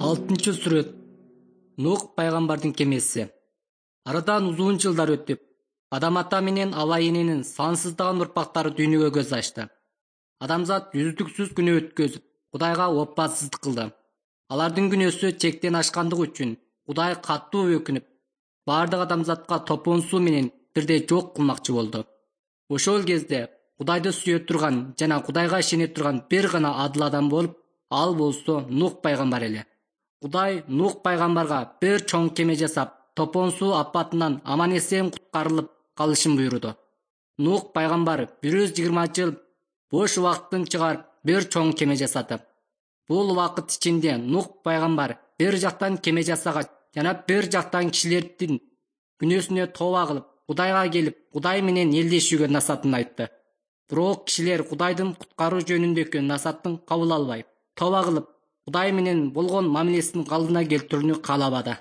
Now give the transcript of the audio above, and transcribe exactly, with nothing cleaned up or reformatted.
алтынчы сүрөт. Нух пайгамбардын кемеси. Арадан узун жылдар өтүп, Адам ата менен Ава эненин сансыздаган урпактары дүйнөгө көз ачты. Адамзат үздүксүз күнөө өткөзүп, Кудайга опасыздык кылды. Алардын күнөөсү чектен ашкандыгы үчүн Кудай катуу өкүнүп, бардык адамзатка топон суу менен бирдей жок кылмакчы болду. Ошол кезде Кудайды сүйө турган жана Кудайга ишене турган бир гана адыл адам болуп, ал болсо Нух пайгамбар эле. Кудай Нух пайгамбарга бир чоң кеме жасап, топон суу апатынан аман-эсен куткарылып калышын буйруду. Нух пайгамбар бир жүз жыйырма жыл бош убакытын чыгарып бир чоң кеме жасады. Бул убакыт ичинде Нух пайгамбар бир жактан кеме жасагач, жана бир жактан кишилердин күнөөсүнө тооба кылып, Кудайга келип, Кудай менен элдешүүгө насатын айтты. Бирок кишилер Кудайдын куткаруу жөнүндөгү насатын кабыл албай, тооба кылып, Кудай менен болгон мамилесин калдына келтирүүнү каалабады.